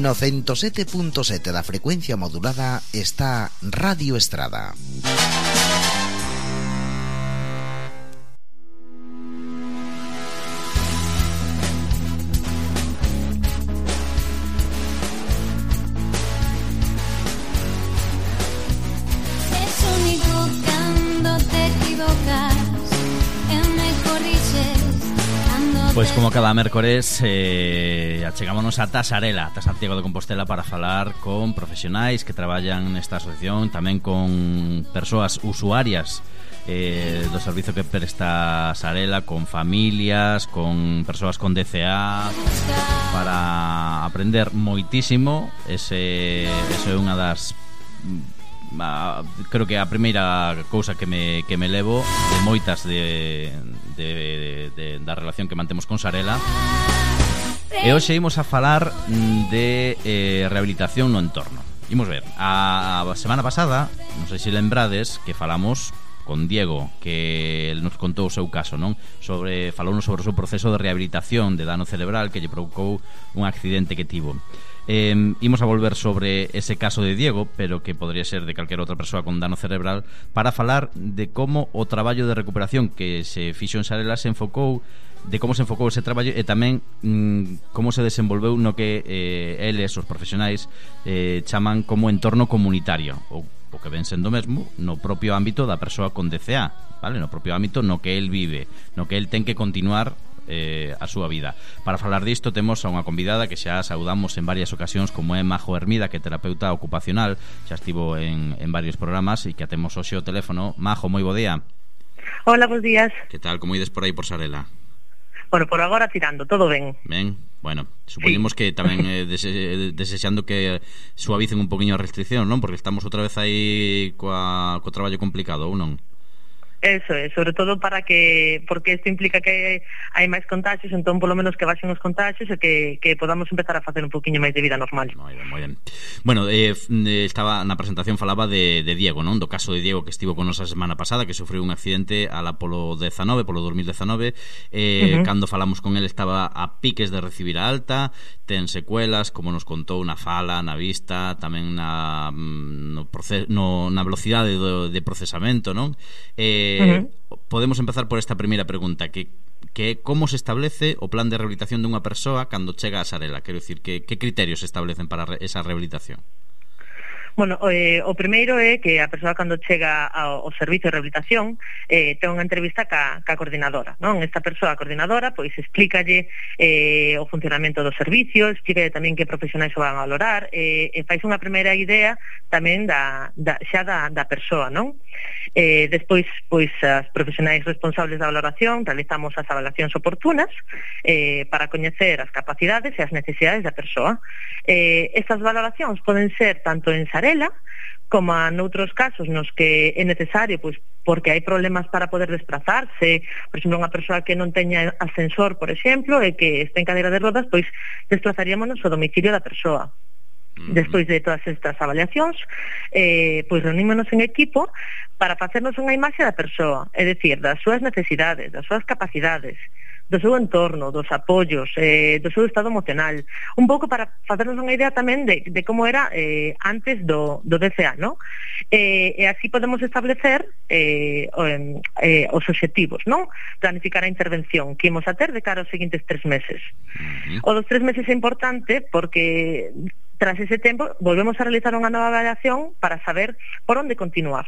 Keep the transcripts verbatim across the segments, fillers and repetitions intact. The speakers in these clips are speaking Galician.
No ciento sete punto sete da frecuencia modulada está Radio Estrada. Pois como cada mércores eh, achegámonos a Tasarela, a Santiago de Compostela, para falar con profesionais que traballan nesta asociación, tamén con persoas usuarias eh, do servizo que presta Sarela, con familias, con persoas con D C A, para aprender moitísimo. Ese, ese é unha das... Uh, creo que a primeira cousa que me, que me levo de moitas de, de, de, de, da relación que mantemos con Sarela. E hoxe imos a falar de eh, rehabilitación no entorno. Imos ver, a, a semana pasada, non sei se lembrades, que falamos con Diego, que el nos contou o seu caso, non? Sobre, falounos sobre o seu proceso de rehabilitación de dano cerebral que lle provocou un accidente que tivo. Eh, imos a volver sobre ese caso de Diego, pero que podría ser de calquera outra persoa con dano cerebral, para falar de como o traballo de recuperación que se fixo en Sarela se enfocou, de como se enfocou ese traballo e tamén mm, como se desenvolveu no que eh, eles, os profesionais, eh, chaman como entorno comunitario, ou o que ven sendo mesmo no propio ámbito da persoa con D C A, vale? No propio ámbito no que el vive, no que el ten que continuar Eh, a súa vida. Para falar disto temos a unha convidada que xa saudamos en varias ocasións, como é Majo Hermida, que é terapeuta ocupacional, xa estivo en, en varios programas e que atemos hoxe o teléfono. Majo, moi bo día. Hola, bons días. Que tal, como ides por aí por Sarela? Bueno, por agora tirando, todo ben. Ben, bueno, supoñemos sí. Que tamén eh, dese, desexando que suavicen un poquinho a restricción, non? Porque estamos outra vez aí coa, co traballo complicado, ou non? Eso é, sobre todo para que, porque isto implica que hai máis contagios, entón polo menos que baixen os contagios e que, que podamos empezar a facer un poquinho máis de vida normal. Moi ben, moi ben. Bueno, eh, estaba na presentación, falaba de, de Diego, non? Do caso de Diego que estivo con nos a semana pasada, que sufriu un accidente ala polo dezanove, polo dos mil dezanove, eh, uh-huh. Cando falamos con el estaba a piques de recibir a alta, ten secuelas, como nos contou, na fala, na vista, tamén na, no proces, no, na velocidade do, de procesamento, non? Eh, Uh-huh. Podemos empezar por esta primeira pregunta, que que como se establece o plan de rehabilitación dunha persoa cando chega a Sarela? Quero dicir, que, que criterios se establecen para esa rehabilitación? Bueno, eh, o primeiro é que a persoa cando chega ao, ao servicio de rehabilitación eh, ten unha entrevista ca, ca coordinadora, non? Esta persoa coordinadora pois explícalle eh, o funcionamento do servicio, explícalle tamén que profesionais o van a valorar, eh, e fais unha primeira idea tamén da, da, xa da, da persoa, non? Eh, despois, pois, as profesionais responsables da valoración realizamos as avaliacións oportunas eh, para coñecer as capacidades e as necesidades da persoa. Eh, estas valoracións poden ser tanto en Sarela como noutros casos nos que é necesario, pois, porque hai problemas para poder desplazarse, por exemplo, unha persoa que non teña ascensor, por exemplo, e que este en cadeira de rodas, pois desplazaríamos ao domicilio da persoa. Despois de todas estas avaliacións, eh, pois reunímonos en equipo para facernos unha imaxe da persoa, é dicir, das súas necesidades, das súas capacidades, do seu entorno, dos apoios, eh, do seu estado emocional, un pouco para facernos unha idea tamén de, de como era eh, antes do, do D C A, ¿no? Eh, e así podemos establecer eh, eh, os obxectivos, non? Planificar a intervención que imos a ter de cara aos seguintes tres meses. O dos tres meses é importante porque tras ese tempo volvemos a realizar unha nova avaliación para saber por onde continuar.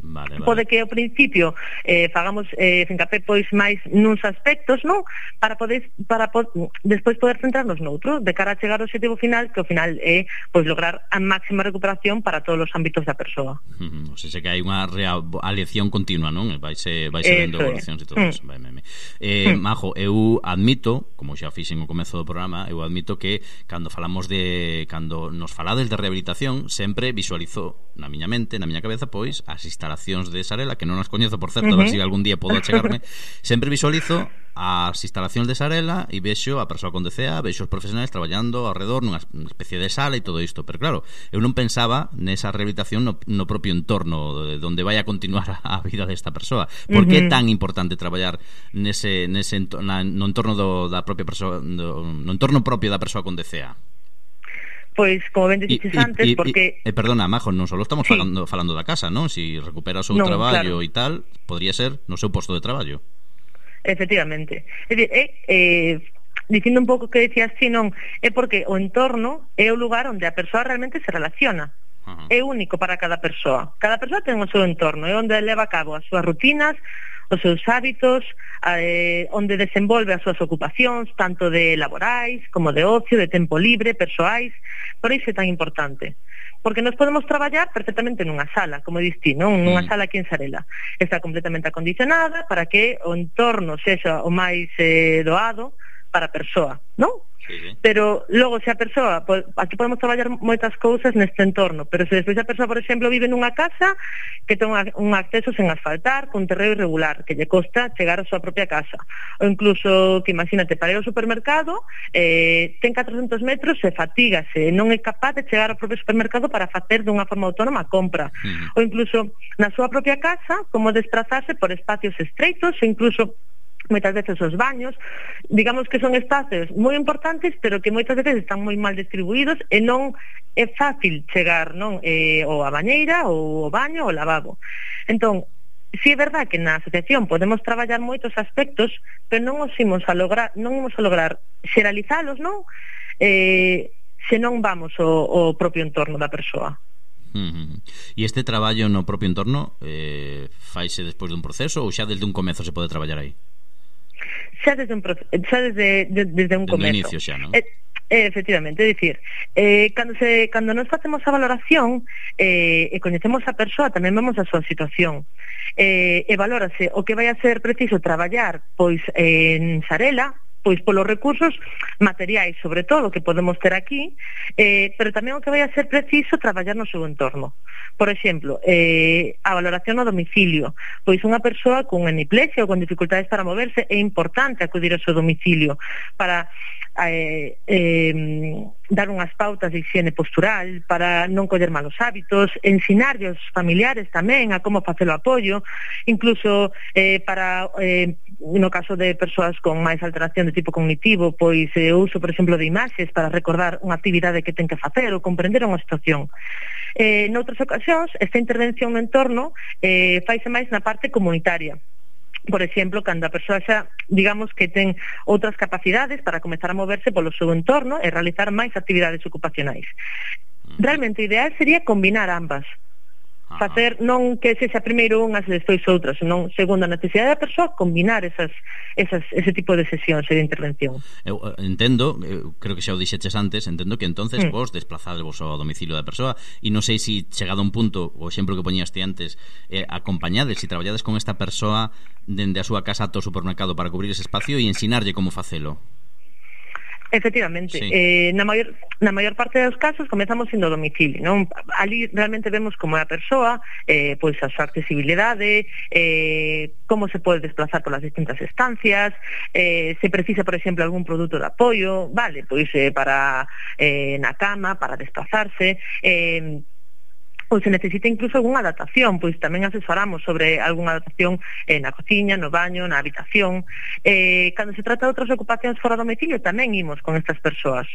Vale, vale. Pode que ao principio eh, fagamos eh, fincapé pois máis nuns aspectos, non? Para poder para po despois poder centrarnos noutro, de cara a chegar ao objetivo final, que ao final é pois lograr a máxima recuperación para todos os ámbitos da persoa. Uh-huh. O sea, que hai unha realiación continua, non? Vaise vaise vendo evolucións e todo eso. Vai, vai, vai. Eh, mm. Majo, eu admito, como xa fixen ao comezo do programa, eu admito que cando falamos de cando nos falades de rehabilitación, sempre visualizo na miña mente, na miña cabeza, pois as instalacións de Sarela, que non as coñezo, por certo, uh-huh. a ver se si algún día podo achegarme. Sempre visualizo as instalacións de Sarela e vexo a persoa con D C A, vexo os profesionais traballando ao redor nunha especie de sala e todo isto, pero claro, eu non pensaba nesa rehabilitación no, no propio entorno de onde vai a continuar a vida desta persoa. Por que uh-huh. é tan importante traballar nese, nese na, no entorno do, da propia persoa, do, no entorno propio da persoa con D C A? pois, como ben dixeches antes, y, porque... Eh, perdona, Majo, non só estamos sí. falando, falando da casa, non? Si recupera o seu non, traballo e claro. tal, podría ser no seu posto de traballo. Efectivamente. É dicir, é... Eh, dicindo un pouco que decías ti, non, é porque o entorno é o lugar onde a persoa realmente se relaciona. Uh-huh. É único para cada persoa. Cada persoa ten o seu entorno, é onde leva a cabo as súas rutinas, os seus hábitos, eh, onde desenvolve as súas ocupacións, tanto de laborais, como de ocio, de tempo libre, persoais. Por iso é tan importante. Porque nos podemos traballar perfectamente nunha sala, como diste, non? Nunha mm. sala aquí en Sarela. Está completamente acondicionada para que o entorno sexa o máis eh, doado para a persoa, non? Sí, sí. Pero logo se a persoa, aquí podemos traballar moitas cousas neste entorno, pero se despois a persoa, por exemplo, vive nunha casa que ten un acceso sen asfaltar, con terreo irregular, que lle costa chegar á súa propia casa, ou incluso que imagínate, para ir ao supermercado eh, ten catrocentos metros e fatígase, non é capaz de chegar ao propio supermercado para facer dunha forma autónoma a compra, uh-huh. ou incluso na súa propia casa, como desplazarse por espacios estreitos, e incluso moitas veces os baños, digamos que son espacios moi importantes, pero que moitas veces están moi mal distribuídos e non é fácil chegar, non, eh, ou a bañeira, ou o baño, ou o lavabo. Entón, si é verdad que na asociación podemos traballar moitos aspectos, pero non os imos a lograr, non imos a lograr xeralizalos, non? Eh, se non vamos ao, ao propio entorno da persoa. Uh-huh. E este traballo no propio entorno eh, faise despois dun proceso ou xa desde un comezo se pode traballar aí? Xa desde un, xa desde, de, desde un comezo. Inicio xa, non? Eh, eh, efectivamente, é dicir, eh, cando, se, cando nos facemos a valoración eh, e coñecemos a persoa, tamén vemos a súa situación. Eh, e valórase o que vai a ser preciso traballar pois en Sarela, pois polos recursos materiais, sobre todo, que podemos ter aquí, eh, pero tamén o que vai a ser preciso traballar no seu entorno. Por exemplo, eh, a valoración no domicilio. Pois unha persoa con hemiplesia ou con dificultades para moverse é importante acudir ao seu domicilio para eh, eh, dar unhas pautas de higiene postural, para non coller malos hábitos, ensinarlle aos familiares tamén a como facer o apoio, incluso eh, para... Eh, no caso de persoas con máis alteración de tipo cognitivo, pois eh, uso, por exemplo, de imaxes para recordar unha actividade que ten que facer ou comprender unha situación. Eh, noutras ocasións, esta intervención no entorno eh, faise máis na parte comunitaria. Por exemplo, cando a persoa xa, digamos, que ten outras capacidades para comezar a moverse polo seu entorno e realizar máis actividades ocupacionais. Realmente o ideal sería combinar ambas. Facer non que sexa primeiro unhas e despois outras, senón segundo a necesidade da persoa, combinar esas, esas, ese tipo de sesións e de intervención. Eu entendo, eu creo que xa o dixeches antes, entendo que entonces mm. vos desplazadevos ao domicilio da persoa e non sei se chegado a un punto, o exemplo que poñías ti antes, eh, acompañades, se traballades con esta persoa dende a súa casa ata o supermercado para cubrir ese espacio e ensinarlle como facelo. Efectivamente, sí. eh, na maior na maior parte dos casos comezamos indo ao domicilio, non? Ali realmente vemos como é a persoa, eh, pois a súa accesibilidade, eh, como se pode desplazar polas distintas estancias, eh, se precisa, por exemplo, algún produto de apoio, vale, pois eh, para eh, na cama, para desplazarse, eh, ou se necesita incluso algunha adaptación, pois tamén asesoramos sobre algunha adaptación eh, na cociña, no baño, na habitación. Eh, cando se trata de outras ocupacións fora do domicilio, tamén imos con estas persoas.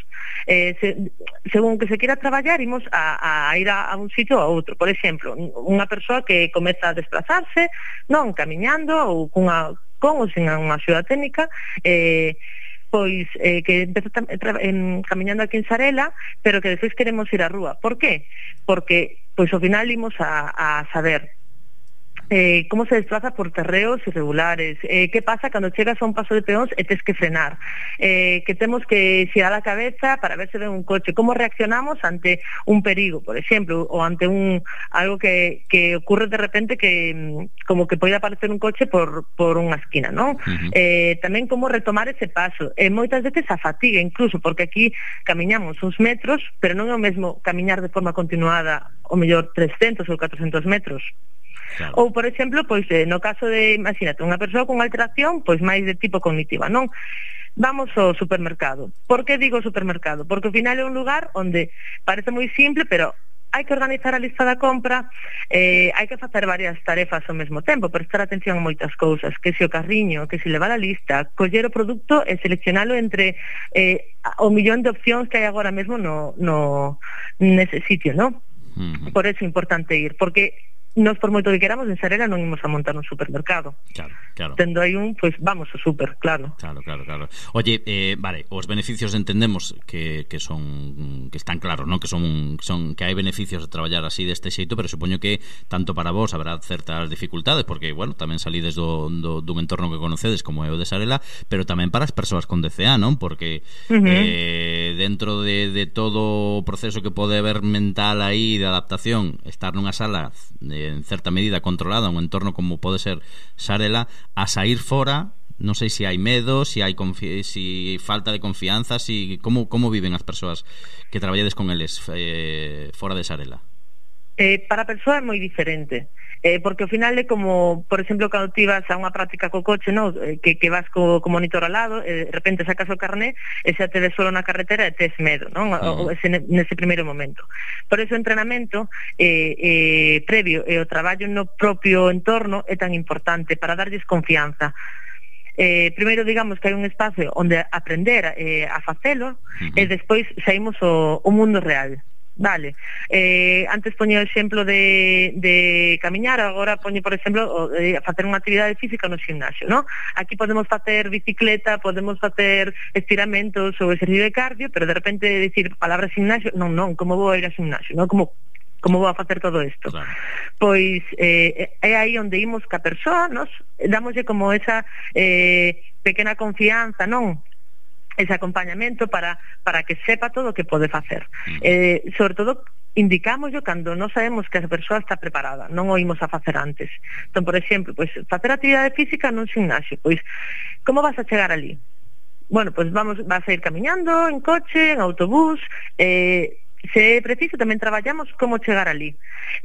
Eh, se, según que se quera traballar, imos a, a ir a, a un sitio ou a outro. Por exemplo, unha persoa que comeza a desplazarse, non camiñando ou cunha, con ou sin unha axuda técnica, eh, pois eh, que empeza eh, camiñando aquí en Sarela, pero que despois queremos ir á rúa. Por qué? Porque pois ao final imos a, a saber eh, como se desplaza por terreos irregulares, eh, que pasa cando chegas a un paso de peóns e tes que frenar, eh, que temos que xirar a cabeza para ver se ven un coche, como reaccionamos ante un perigo, por exemplo, ou ante un algo que, que ocurre de repente que como que pode aparecer un coche por, por unha esquina, non? Uh-huh. Eh, tamén como retomar ese paso, e eh, moitas veces a fatiga incluso, porque aquí camiñamos uns metros, pero non é o mesmo camiñar de forma continuada o mellor trescentos ou catrocentos metros. Claro. Ou, por exemplo, pois eh, no caso de, imagínate, unha persoa con alteración pois máis de tipo cognitiva, non? Vamos ao supermercado. Por que digo supermercado? Porque ao final é un lugar onde parece moi simple, pero hai que organizar a lista da compra, eh, hai que facer varias tarefas ao mesmo tempo, prestar atención a moitas cousas, que se o carriño, que se levar a lista, coller o produto e seleccionalo entre eh, o millón de opcións que hai agora mesmo no, no nese sitio, non? Uh-huh. Por eso é importante ir, porque nos por moito que queramos en Sarela non imos a montar un supermercado. Claro, claro. Tendo aí un, pois pues, vamos ao super, claro. Claro, claro, claro. Oye, eh, vale, os beneficios entendemos que, que son que están claros, ¿no? Que son son que hai beneficios de traballar así deste xeito, pero supoño que tanto para vos habrá certas dificultades, porque, bueno, tamén salides do, do, dun entorno que conocedes como é o de Sarela, pero tamén para as persoas con D C A, non? Porque uh-huh. eh, dentro de, de todo o proceso que pode haber mental aí de adaptación, estar nunha sala de en certa medida controlada, un entorno como pode ser Sarela, a sair fora, non sei se hai medo, se hai confi- si falta de confianza, si como como viven as persoas que traballades con eles eh, fora de Sarela. Eh, para a persoa é moi diferente. Eh, porque ao final é como, por exemplo, cando ti vas a unha práctica co coche, no? eh, que, que vas co, co monitor ao lado, e de repente sacas o carné e xa te ves solo na carretera e tes medo, non? Uh-huh. O, ese, nese primeiro momento. Por eso o entrenamento eh, eh, previo e o traballo no propio entorno é tan importante para darlles confianza. Eh, primeiro, digamos que hai un espacio onde aprender eh, a facelo, uh-huh. e despois saímos o, o mundo real. Vale, eh, antes poño o exemplo de, de camiñar, agora poño, por exemplo, eh, facer unha actividade física no gimnasio, ¿no? Aquí podemos facer bicicleta, podemos facer estiramentos ou exercicio de cardio, pero de repente decir palabra gimnasio, non, non, como vou a ir ao gimnasio, non? Como como vou a facer todo isto? Claro. Pois eh, é aí onde imos ca persoa, nos damoslle como esa eh, pequena confianza, non? Ese acompañamento para para que sepa todo o que pode facer. Uh-huh. Eh, sobre todo, indicámoslo cando non sabemos que a persoa está preparada, non o imos a facer antes. Entón, por exemplo, pois, facer actividade física nun gimnasio, pois, como vas a chegar ali? Bueno, pois vamos, vas a ir camiñando, en coche, en autobús, eh, se é preciso tamén traballamos como chegar ali,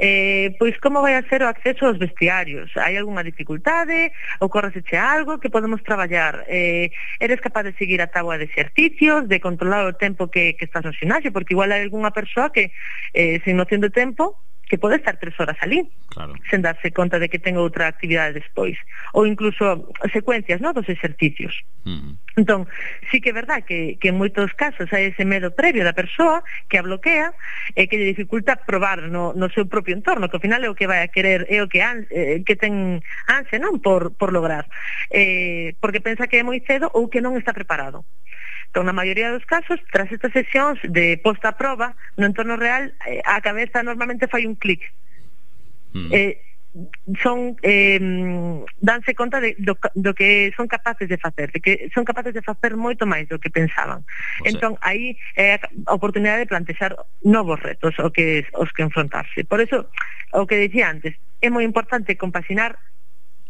eh, pois como vai a ser o acceso aos vestiarios, hai algunha dificultade, ocorreseche algo que podemos traballar, eh, eres capaz de seguir a táboa de exercicios, de controlar o tempo que, que estás no ximnasio, porque igual hai algunha persoa que eh, sin noción de tempo que pode estar tres horas ali, claro, sen darse conta de que ten outra actividade despois, ou incluso secuencias, no, dos exercicios. Uh-huh. Entón, sí que é verdad que, que en moitos casos hai ese medo previo da persoa que a bloquea e que lle dificulta probar no, no seu propio entorno, que ao final é o que vai a querer, é o que, an, eh, que ten ansia, non, por, por lograr, eh, porque pensa que é moi cedo ou que non está preparado. Entón, na maioría dos casos, tras estas sesións de posta a proba, no entorno real, eh, a cabeza normalmente fai un clic. Mm. Eh, son eh, danse conta de, do, do que son capaces de facer, de que son capaces de facer moito máis do que pensaban. O sea, entón, aí é a oportunidade de plantexar novos retos o que, os que enfrontarse. Por eso, o que dicía antes, é moi importante compaxinar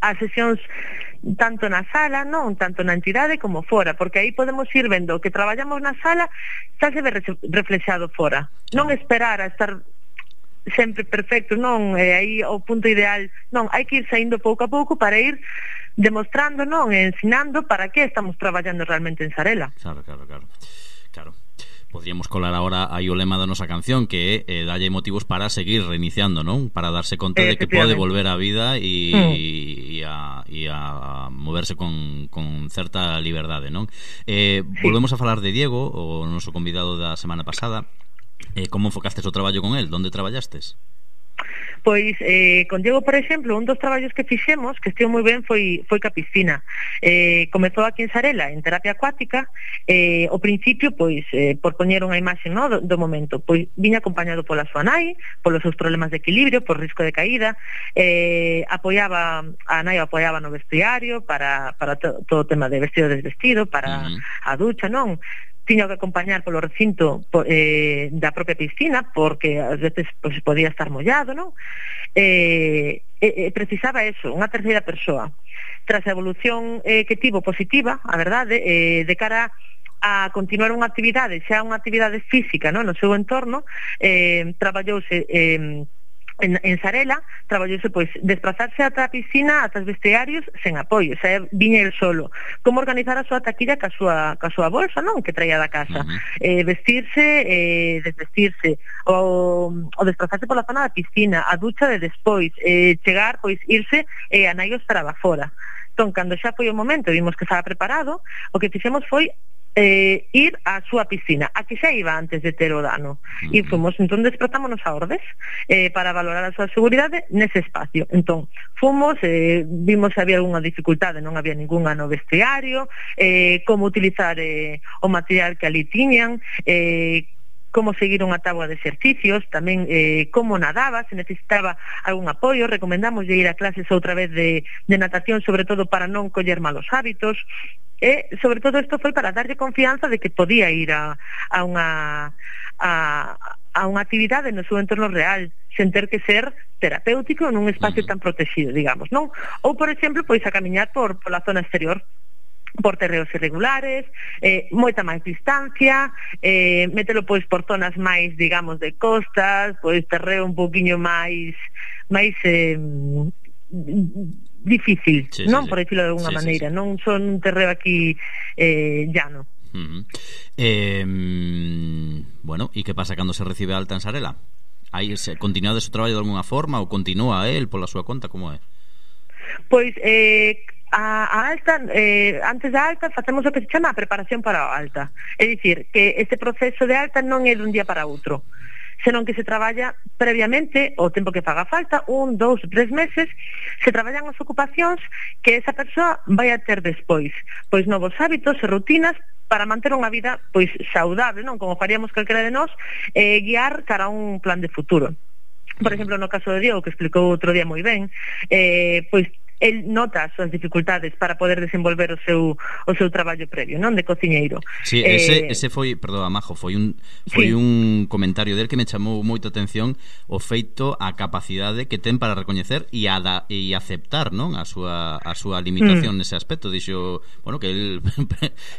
as sesións tanto na sala, non tanto na entidade como fora, porque aí podemos ir vendo que traballamos na sala xa se ve reflexado fora, non esperar a estar sempre perfecto, non, e aí o punto ideal, non, hai que ir saindo pouco a pouco para ir demostrando, non, e ensinando para que estamos traballando realmente en Sarela. Claro, claro, claro, claro. Podríamos colar ahora aí o lema da nosa canción, que é eh, dalle motivos para seguir reiniciando, non? Para darse conta de que pode volver á vida e, mm. e, a, e a moverse con, con certa liberdade, non? Eh, sí. Volvemos a falar de Diego, o noso convidado da semana pasada. Eh, como enfocastes o traballo con el? Donde traballastes? Pois, eh, con Diego, por exemplo, un dos traballos que fixemos, que estiu moi ben, foi, foi ca piscina. Eh, comezou aquí en Sarela, en terapia acuática, eh, ao principio, pois, eh, por poñer unha imaxe, no, do, do momento, pois, viña acompañado pola súa nai, polos seus problemas de equilibrio, por risco de caída, eh, apoiaba, a nai apoiaba no vestiario, para, para to, todo o tema de vestido desvestido, para uh-huh. a ducha, non? Tiño que acompañar polo recinto eh, da propia piscina, porque ás veces pues, podía estar mollado, non? Eh, eh, precisaba eso, unha terceira persoa. Tras a evolución eh, que tivo positiva, a verdade, eh, de cara a continuar unha actividade, xa unha actividade física, non? No seu entorno, eh, traballouse... Eh, En, en Sarela traballouse pois desplazarse ata a piscina, ata os vestiarios sen apoio, xa viña el solo. Como organizar a súa taquilla ca súa, ca súa bolsa, non? Que traía da casa. Uh-huh. Eh, vestirse, eh, desvestirse, o, o desplazarse pola zona da piscina, a ducha de despois, eh, chegar, pois irse e eh, a nai esperaba fora. Entón, cando xa foi o momento, vimos que estaba preparado, o que fixemos foi Eh, ir á súa piscina, a que xa iba antes de ter o dano. Uh-huh. E fomos, entón, despertámonos a ordes eh, para valorar a súa seguridade nese espacio. Entón, fomos, eh, vimos se había algunha dificultade, non había ningunha no vestiario, eh, como utilizar eh, o material que ali tiñan, eh, como seguir unha táboa de exercicios, tamén eh, como nadaba, se necesitaba algún apoio, recomendamos de ir a clases outra vez de, de natación, sobre todo para non coller malos hábitos. E, sobre todo, isto foi para darlle confianza de que podía ir a, a unha a, a unha actividade no seu entorno real, sen ter que ser terapéutico nun espacio tan protegido, digamos, non? Ou, por exemplo, pois a camiñar por, por la zona exterior, por terreos irregulares, eh, moita máis distancia, eh, mételo pois por zonas máis, digamos, de costas, pois terreo un poquinho máis máis eh, difícil, sí, non? Sí, por decirlo de alguna sí, maneira, sí, sí. Non son un terreo aquí eh, llano. Uh-huh. eh, bueno, e que pasa cando se recibe alta en Sarela? Aí se continúa o traballo de alguna forma ou continúa el pola súa conta, como é? Pois eh, a, a alta, eh, antes da alta facemos o que se chama a preparación para a alta. É dicir, que este proceso de alta non é dun día para outro, senón que se traballa previamente o tempo que faga falta, un, dous, tres meses, se traballan as ocupacións que esa persoa vai a ter despois, pois novos hábitos e rutinas para manter unha vida pois saudable, non? Como faríamos calquera de nós, eh, guiar cara a un plan de futuro. Por exemplo, no caso de Diego, que explicou outro día moi ben, eh, pois el nota as súas dificultades para poder desenvolver o seu o seu traballo previo, non, de cociñeiro. Sí, ese, eh, ese foi, perdón, Majo, foi un foi sí. un comentario del que me chamou moita atención, o feito, a capacidade que ten para recoñecer e a da, e aceptar, non, a súa a súa limitación mm. nese aspecto. Dixo, bueno, que el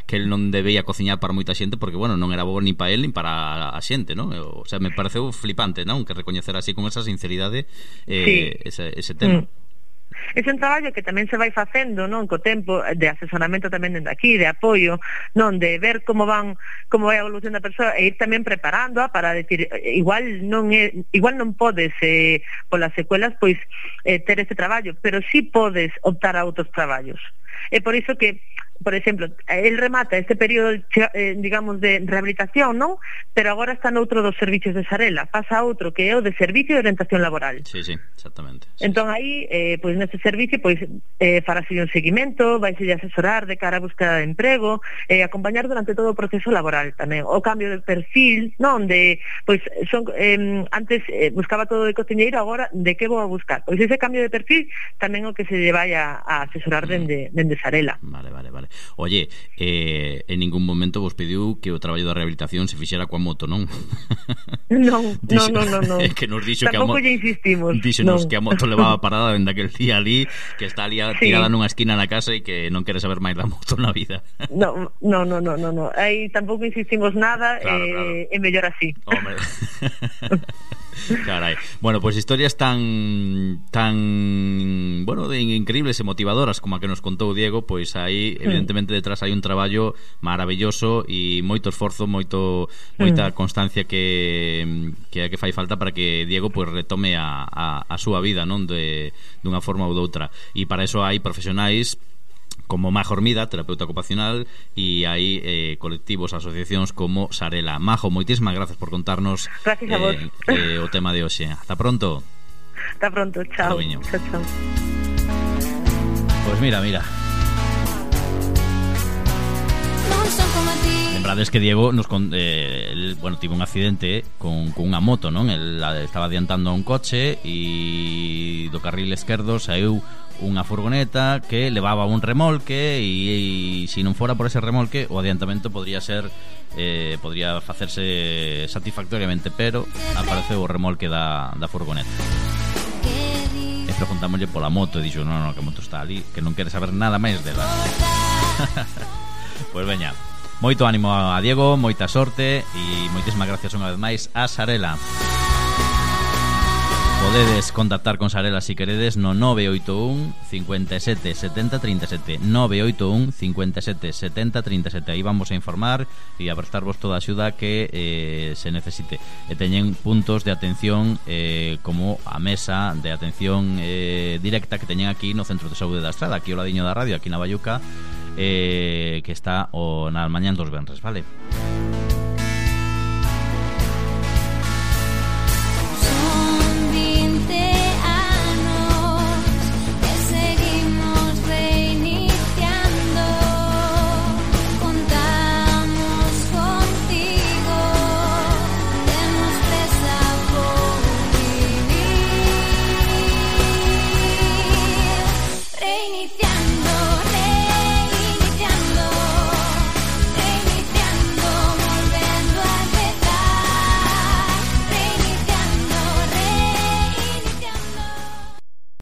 que el non debía cociñar para moita xente porque, bueno, non era bo ni para el ni para a xente, non? O sea, me pareceu flipante, non, que recoñecer así con esa sinceridade eh, sí. ese, ese tema. Mm. É un traballo que tamén se vai facendo, non, co tempo de asesoramento tamén dende aquí, de apoio, non, de ver como van, como vai a evolución da persoa e ir tamén preparándoa para decir, igual non é, igual non podes eh, polas secuelas pois eh, ter este traballo, pero sí podes optar a outros traballos. É por iso que, por exemplo, el remata este período, eh, digamos, de rehabilitación, non? Pero agora está noutro dos servicios de Sarela, pasa a outro que é o de servicio de orientación laboral. Sí, sí, exactamente. Sí, entón sí. aí, eh, pois neste servicio, pois eh, farase un seguimento, vai a asesorar de cara a búsqueda de emprego, eh, acompañar durante todo o proceso laboral tamén, o cambio de perfil, non? De, pois, son, eh, antes eh, buscaba todo de cociñeiro, agora de que vou a buscar? Pois ese cambio de perfil tamén o que se lle vai a, a asesorar dende, dende Sarela. Vale, vale, vale. Oye, eh, en ningún momento vos pediu que o traballo da rehabilitación se fixera coa moto, non? Non, non, non, non, non. É que nos dixo tampouco que a moto, lle insistimos. Díxenos non. que a moto levaba parada dende aquel día ali, que está ali sí. tirada nunha esquina na casa e que non quere saber máis da moto na vida. No, no, no, no, no, no. Aí tampouco insistimos nada, claro, eh, claro. É mellor así. Hombre. Carai. Bueno, pues historias tan tan, bueno, de increíbles e motivadoras como a que nos contou Diego, pois aí evidentemente detrás hai un traballo maravilloso e moito esforzo, moito moita constancia que que que fai falta para que Diego pois retome a, a, a súa vida, non, de dunha forma ou doutra. E para eso hai profesionais como Majo Hormida, terapeuta ocupacional, e hai eh, colectivos, asociacións como Sarela. Majo, moitísimas grazas por contarnos gracias a vos. Eh, eh, o tema de hoxe. Hasta pronto. Hasta pronto, chao. Chao, chao. Pues mira, mira. Lembrades que Diego nos con, eh, el, bueno, tivo un accidente con, con unha moto, non? El estaba adiantando a un coche e do carril esquerdo saiu unha furgoneta que levaba un remolque e, e se non fora por ese remolque o adiantamento podría ser eh, podría facerse satisfactoriamente, pero apareceu o remolque da, da furgoneta e preguntámoslle pola moto e dixo, non, non, que a moto está ali, que non quere saber nada máis dela. Pois veña, moito ánimo a Diego, moita sorte e moitísimas gracias unha vez máis a Sarela. Podedes contactar con Sarela si queredes no nove oito un, cinco sete, setenta, treinta e sete nove oito un, cinco sete, setenta, treinta e sete. Aí vamos a informar e a prestarvos toda a axuda que eh, se necesite. E teñen puntos de atención eh, como a mesa de atención eh, directa que teñen aquí no Centro de Saúde da Estrada, aquí ao ladiño da radio, aquí na Bayuca, eh, que está o na mañán dos venres, vale?